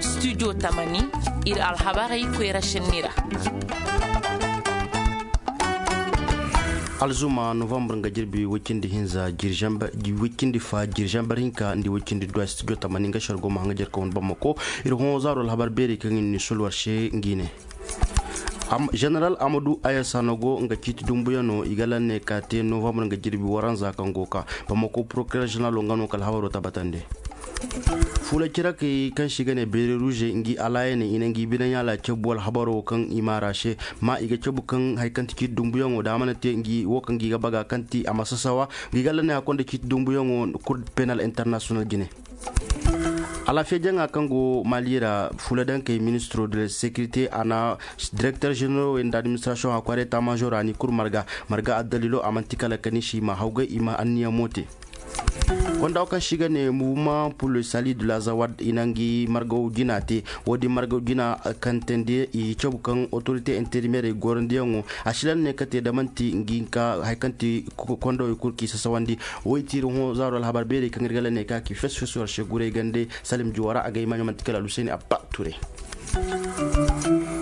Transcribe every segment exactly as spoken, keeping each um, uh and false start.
Studio tamani, iri alhabarey koyra senni ra. Alzuma novembre nga jirbi way cindi hinza, way cindi fa, jiri zambar hinka nda way cindi duwa, studio tamani nga shargo ma hanga jerka wane bamako. Iri hõ zaaro alhabar beeri kaŋ iri ni solwar se ngi ne. General Amadou Ayasanogo nga ciiti dumbuyano i ga lanne ka te novembre nga jirbi waranza kaŋ go ka. Bamako procureur general nga no kala habaro tabatande. Fula cirakey kaŋ si ga ne bere rouge ngi alaayane i na ngi bine ɲaala cabu alhabaro kaŋ i maara se. Ma i ga cabu kaŋ hari kaŋ ti ciiti dumbuyaŋo da a mana te ngi wo kaŋ gi ga baga kaŋ ti a ma sasawa. Gi ga lanne a konda ciiti dumbuyaŋo cour penal international jine. Alaafiya jaŋa kaŋ go mali ra, fula dankey ministro de la sécurité a na directeur généraux nda administration a kware ta major a ni kuru marga. Marga addalilo a manti kala kani si ma hawgay i ma anniya mote. Konda kaŋ si ga ne mouvement pour le salut de la zawad i na ngi margaw jina te. Wo-din margaw jina kantandi i cabu kaŋ autorité intérimaire gorandiyaŋo a si lanne ka te da manti ngi ka hari kaŋ ti. Konda wo i kuru k'i sasawandi. Wo i tiiri hõ zaaro alhabar beerey kaŋ iri ga lanne ka ki fes fes war se guray gande. Salim juwara a ga i maaɲo manti kala aluseni abba ture.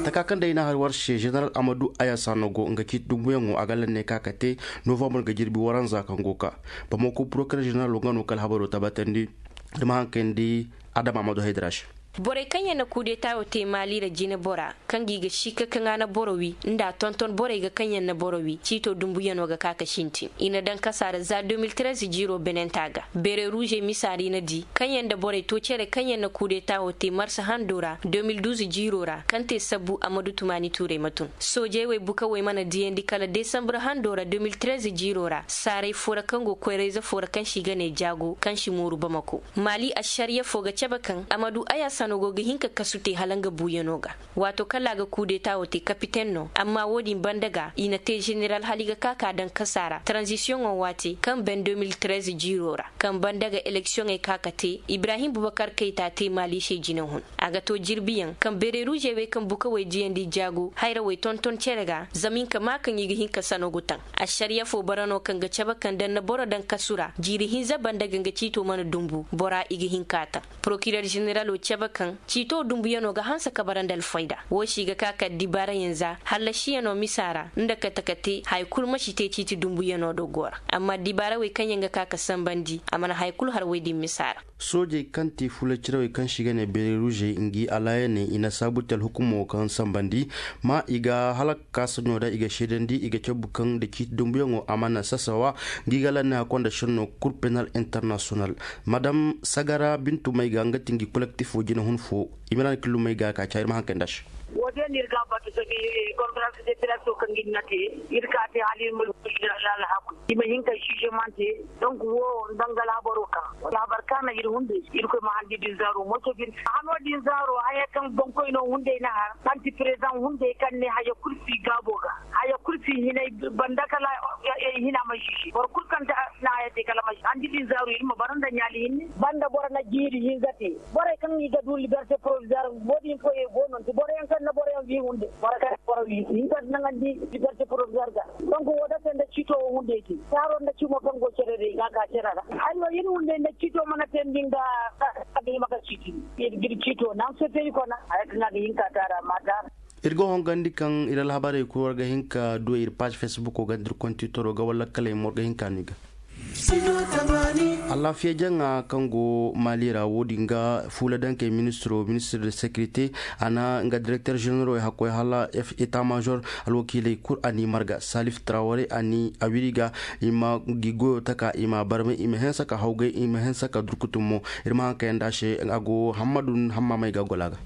Taka kaŋ day na hari war se general amadu ayasa no go nga ciiti dumbuyaŋo a ga lanne ka ka te. Novembre ga jirbi waranza kaŋ go ka bamako procureur general wo nga no kala habaro tabatandi. Da ma hankandi adama amadu haydara se. Borey kaŋ yaŋ na kudeta wo te mali ra jine bora kaŋ ga i ga sikka kaŋ a na boro wi nda a tonton borey ga kaŋ yaŋ na boro wi ciito dumbuyano ga ka ka sintin i na daŋ kasa ra za deux mille treize jiiro benenta ga. Bere ruuzey misa ra i na di kaŋ yaŋ nda borey to cere kaŋ yaŋ na kudeta wo te marsa hando ra deux mille douze jiiro ra kaŋ te sabbu amadu tumani tuurey ma tun. Soojey wey bukawey mana diyandi kala desambre hando ra deux mille treize jiiro ra saaray fo ra kaŋ go koyrayze fo ra kaŋ se i ga ne jaago kaŋ si mooru bamako. Mali ašariya fo ga cabe kaŋ amadu ayasano go ga hin ka kasu te hala nga buuyano ga. Waato kala a ga kudeta wo te kapiten no amma wo-din banda ga i na te zeneral hala i ga ka ka daŋ kasa ra taranzisiyoŋo waate kaŋ ben deux mille treize jiiro ra kaŋ banda ga eleksiyoŋey ka ka te ibrahim bubakar kayta te mali se jine hun. A ga to jirbiyaŋ kaŋ bereruuzey wey kaŋ bukawey diyandi jaago hayrawey tonton cere ga zama i ga ma kaŋ i ga hin ka sano ga taŋ. Ašariya fo bara no kaŋ ga cabe kaŋ daŋ na boro daŋ kasu ra jiiri hinza banda ga nga ciito mana dumbu bora i ga hin ka taŋ. Porokiror zeneralo cabe kaŋ ciito dumbuyano ga hanse ka bara nda alfayda wo si ga ka kala dibaarayaŋ za hallasiyano misa ra nda kate kate hari kulu ma si te ciiti dumbuyano do go ra. Amma dibaarawey kaŋ yaŋ ga ka ka sambandi a mana hari kulu har woy din misa ra. Soojey kaŋ te fula cirawey kaŋ si ga ne bereruuzey ngi alaayaney i na saabu te alhukumo kaŋ sambandi ma i ga halak kaasaɲo da i ga seedandi i ga cabu kaŋ nda ciiti dumbuyaŋo a mana sasawa. Ngi ga lanne hakkonda senno kur penal international madam sagara bintu may ga nga ti ngi kolektifo jina hun fo. I ma naŋ killumay ga ka caayir ma hankay nda se. Wo- din iri ga batu sabi konferans de presse kaŋ ga ni na te iri ka te hala iri ma du iri alhaku i ma hin ka jugement te. Donc wo danga alhabaro ka wala habar ka na iri hunde iri koy ma handi din zaaro moto bin hano din zaaro haya kaŋ bankoy no hunde na har anti président hunde kaŋ ne haya kulu si gaabo ga haya kulu si hinay banda kala hina ma jiji boro kulu kaŋ ta na haya te kala ma handi din zaaro iri ma bara nda ɲaali hinne banda boro na jiiri hinza te. Borey kaŋ i ga du liberté provisoire wo- din koyey go no nti boroyaŋ kaŋ na boroyaŋ wi hunde boro kaŋ boro wi hinza naŋandi liberté provisoire ga. Donc wo- da se nda ciito wo hunde te taaro nda cimo kaŋ go cere day ga ka cere ra. Ay wo iri hunde nda ciito mana te ndi nga a ga hima ga ciiti iri ga iri ciito naŋ se te i kona haya kaŋ a ga hin ka taara ma taara. Iri ga hongandi kaŋ iri alhabarey kulu war ga hin ka du iri page facebook wo ganda iri kontitoro ga wala kaley mo war ga hin ka no i ga. Alaafiya jaŋa kaŋ go mali ra wo- din ga fuula dankey ministiro ministir de sécurité a na nga directeur généraux hakkoy hala état major alwakiiley kulu a n'i marga salif traware a n'i a wiri ga i ma gi goyo taka i ma barmay i ma hensa ka hawgay i ma hensa ka durkutum mo. Iri ma haŋ kayanda se a go hammadu hamma may ga gola ga.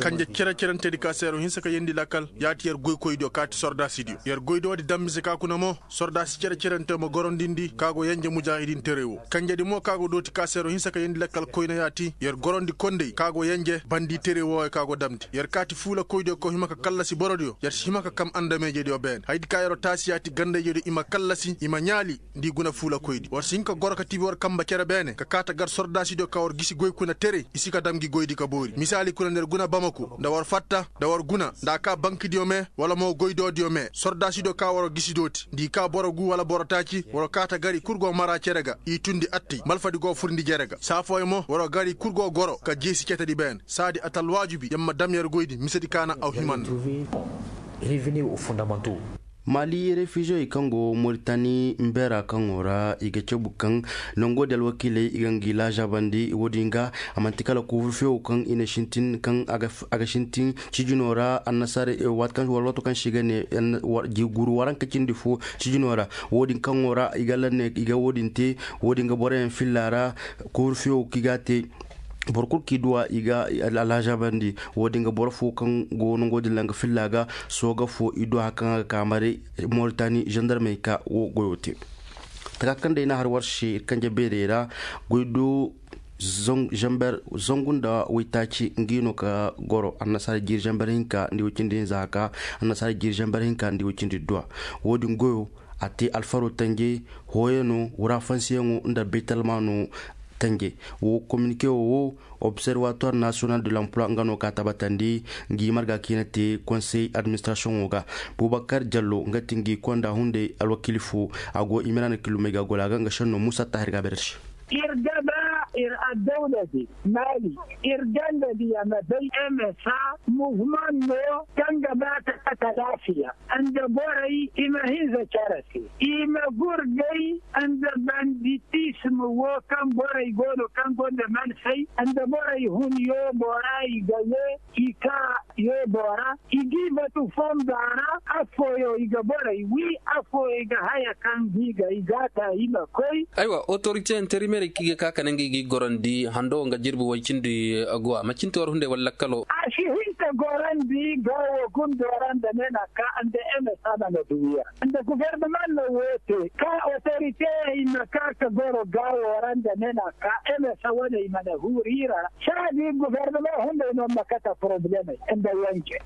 Kanje cere-cerante di ka seero hinsa ka yendi lakkal ya ti yer goykoy diyo ka ti sordaasi diyo yer goy do di dambi se ka kuna mo. Sordaasi cere-cerante ma gorondindi ka go yanje mujaahidin terey wo kanje di mo ka go dooti ka seero hinsa ka yendi lakkal koyna ya ti yer gorondi kondey ka go yanje bandi terey wo ka go damndi yer ka ti fuula koy diyo ka hima ka kallasi boro diyo yer si hima ka kam andameeje diyo beene hay di ka yero taasi ya ti gandayje diyo i ma kallasi i ma ɲaali. Nda i guna fuula koy di war si hin ka goro ka tibi war kamba cere beene ka kaata gar sordaasi diyo ka war gisi goy kuna. tere i si ka dam gi goydi ka boori misaali kuna nda ir guna bamako nda war fatta nda war guna nda a ka bankidiyo me wala mo goydodiyo me sordaasidiyo ka war gisi dooti nda i ka boro gu wala boro taaci war kaata gari kulu go mara cere ga i tundi attey malfadi go furndi jere ga saafooyaŋ mo war gari kulu go goro ka jeesi cetedi beene saadi a ta alwaajibi yer ma dam yer goydi misedi kaana aw himanna. Maali refiizey kaŋ go moritani mbeera kaŋo ra i ga cabu kaŋ nango din alwakiiley i ga ngi laazaabandi wo-din ga a manti kala koofur feewo kaŋ i na sintin kaŋ a ga sintin cijino ra annasaara waati kaŋ wala waato kaŋ se i ga ne guru waranka cindi fo cijino ra wo-din kaŋo ra i ga lanne i ga wo-din te wo-din ga boroyaŋ filla ra koofur feewo kaŋ i ga a te boro kulu kaŋ i duw'a i ga alhazaabandi wo-din ga boro fo kaŋ go nango din langa filla ga sooga fo i duw'a hari kaŋ a ga ka maray moritani zandarmey ka wo goyo te taka kaŋ day no a har war se iri kanje beerey ra goy do zangu nda waytaaci nga no ka goro annasaara jiiri zambar hinka nda way cindi hinza haka annasaara jiiri zambar hinka nda way cindi duwa wo-din goyo a te alfaro tanje hooyano wurafansiyaŋo nda baytalmaano tanje wo kominike wo observatoire national de l'emploi nga no ka tabatandi ngi marga kaŋ i na te konsey administrasiyoŋo ga bubakar jallo nga ti ngi konda hunday alwakiili fo a go i ma ra na kilumey ga gola ga nga senno musa tahir ga berse. Ir ga ba ir addawla di mali ir ganda diya ma bay msa muvman no kaŋ ga ba ta kata lafiya nda borey i ma hinza care se i ma gurgay nda banditism wo kaŋ borey go no kaŋ gonda mansey nda borey hun yoobo ra i ga ye i ka yoobo ra i g'i batu fonda ra afooyo i ga borey wi afooyo i ga haya kaŋ gi ga i ga ta i ma koy. Aywa otorite interimerey kaŋ i ga ka kala ngey ga i gorandi hando nga jirbi way cindi aguwa ma cindi war hunday wala lakkalo. A si hin ka gorandi gawo gundo ra nda ne na ka nda eme sama na duwiya nda guverneman na wo te ka otorite i ma ka ka goro gawo ra nda ne na ka eme sa wane i ma na huri ra. Saadi guverneman hunday no ma kata problemey nda wanje.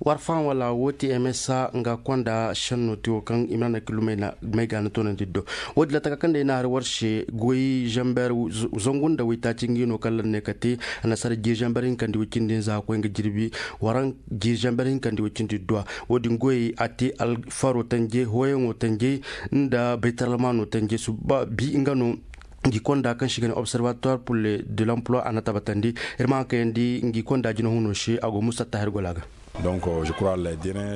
War faham wala wo ti msa nga konda senno ti wo kaŋ i ma na kilumey ga na toonandi do wo din ra taka kaŋ day na hari war se goy zamber zangu nda waytaaci nga no kaŋ lanne ka te annasaara jiiri zamber hinka nda way cindi hinza ka koy nga jirbi waraŋ jiiri zamber hinka nda way cindi duwa wo din goyey a te alfaro tanje hooyaŋo tanje nda baytalmaano tanje suba bi nga no ngi konda kaŋ se i ga ne observatoire pour le de l'emploi a na tabatandi iri ma haŋ kayandi ngi konda jina huno se a go musa tahir gola ga.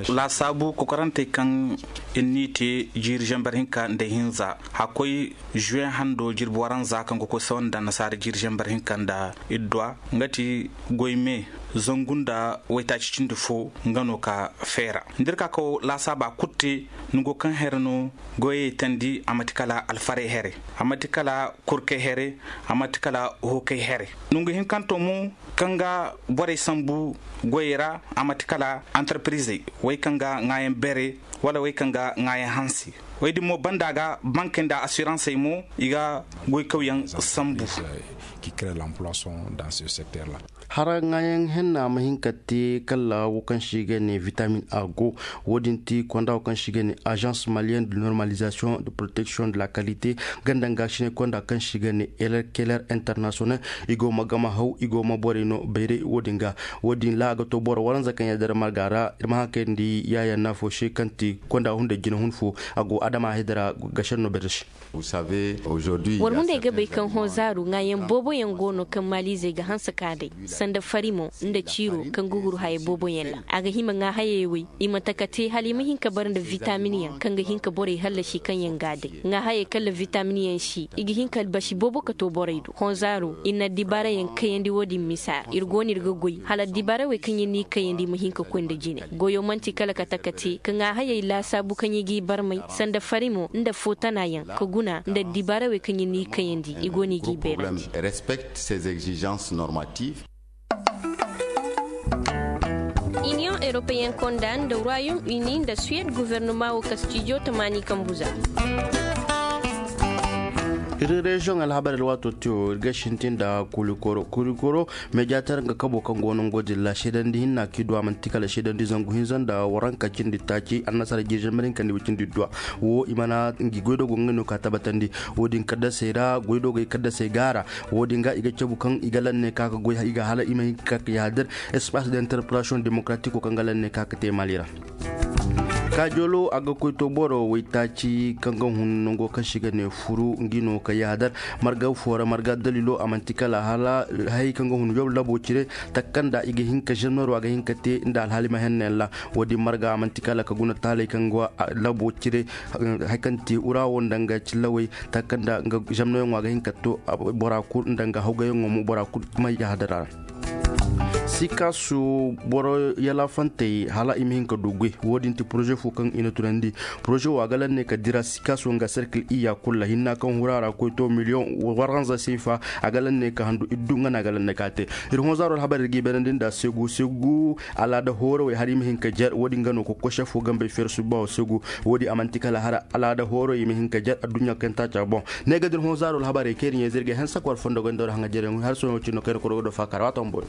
Laasaabu kokorantey kaŋ iri n'i te jiiri zamber hinka nda hinza hakkoy juwe hando jirbi waranza kaŋ ga koy sawa nda annasaara jiiri zamber hinka nda idduwa nga ti goy me zangu nda waytaaci cindi fo nga no ka feera nda iri ka kaw laasaaba kulu te nango kaŋ here no goyey tandi a manti kala alfarey here a manti kala kurkey here a manti kala hookey here nangu hinkanto mo kaŋ ga borey sambu goyey ra a manti kala antarpirizey wey kaŋ ga ŋaayaŋ beere wala wey kaŋ ga ŋaayaŋ hanse wey din mo banda ga bankey nda asiransey mo i ga goykawyaŋ sambu. Hara ŋaayaŋ henna ma hin ka te kala wo kaŋ se i ga ne vitamin a go wo- din ti konda wo kaŋ se i ga ne agence malienne de normalisation de protection de la qualité ganda nga sine konda kaŋ se i ga ne keler international i go ma gama haw i go ma borey no bayray wo- din ga wo- din ra a ga to boro waranza kaŋ yaŋ day ra marga ra iri ma haŋ kayandi yaayaŋ no afo se kaŋ ti konda hunday jina hun fo a go adama hayda ra ga senno bayray se. War hunday ga bay kaŋ hõ zaaru ŋaayaŋ boobo yaŋ go no kaŋ maaliizey ga hanse ka day sanda fari mo nda ciiro kaŋ ga huru haya boobo yaŋ ra a ga hima ŋaahayey wey i ma taka te hala i ma hin ka bare nda vitamin yaŋ kaŋ ga hin ka borey hallasi kaŋ yaŋ ga a day ŋaahayey kaŋ ra vitamin yaŋ si i ga hin ka albasi boobo ka to borey do hõ zaaru iri na addibaara yaŋ kayandi wo- din misa ra iri go no iri ga goy hala addibaara wey kaŋ iri n'i kayandi ma hin ka koy nda jine goyo manti kala ka taka te ka ŋaahayey laasaabu kaŋ i g'i barmay sanda fari mo nda footana yaŋ ka guna nda addibaara wey kaŋ iri n'i kayandi i go no i g'i beerandi. Respecte ces exigences normatives. Iniyoŋ europeen konda nda royaume uni nda suwed guvernoma wo ka stijo tamaani kambu za. Iri reziyoŋ alhabar alwaato tiyo iri ga sintin nda kurikoro kurikoro. Meediyater nga kabo kaŋ go no ngo din ra seedandi hinna kaŋ i du a manti kala seedandi zangu hinza nda waranka cindi taaci annasara jirjin marin kaŋ ni wicindi duwa. Wo i mana ngi goydoogo nga no ka tabbatandi. Wo- din kaddasey ra goydoogey kaddasey gaara. Wo- din ga i ga cabu kaŋ i ga lanne ka ga goy i ga hala i ma hin ka ka yaadir. Espace d'interpellation démocratique kaŋ ga lanne ka ga te mali ra. Kaajoolo a ga koy to boro waytaaci kaŋ ga hun nango kaŋ se i ga ne furu ngi no ka yaadar. Marga fo ra marga daliilo a manti kala hala hayey kaŋ ga hun yob labo cire. Takanda i ga hin ka zanno ra a ga hin ka te nda alhaali ma henne ra. Wo- din marga a manti kala ka guna taaley kaŋ ga labo cire. Hari kaŋ te ura wo nda nga cillawey takanda nga zannoyaŋo a ga hin ka to bora kulu nda nga hawgayaŋo mo bora kulu ma yaadar a ra. Sikasu boro yalafantey hala i ma hin ka du goy. Wo- din ti poroze fo kaŋ i na tunandi. Poroze wo a ga lanne ka dira sikasu nga serkil iyya kulu ra hinna kaŋ hura ra koy to miliyoŋ waranza seefa. A ga lanne ka handu iddu nga no a ga lanne ka te. Iri honzaaro alhabar iri ga i beerandi nda segu segu alaada hoorawey hari i ma hin ka jar wo- din ga no kokoy sefo gambey feeri subba wo segu. Wo- din a manti kala hara alaada hoorawey i ma hin ka jar adduɲɲa kaŋ taaca boŋ. Ne ga din honzaaro alhabarey kaŋ iri ɲayze iri ga hanse kwara fondo goy nda wara haŋajereyaŋ hari sohõ cine no kaŋ iri koro ga do faakara waato bumboyaŋ.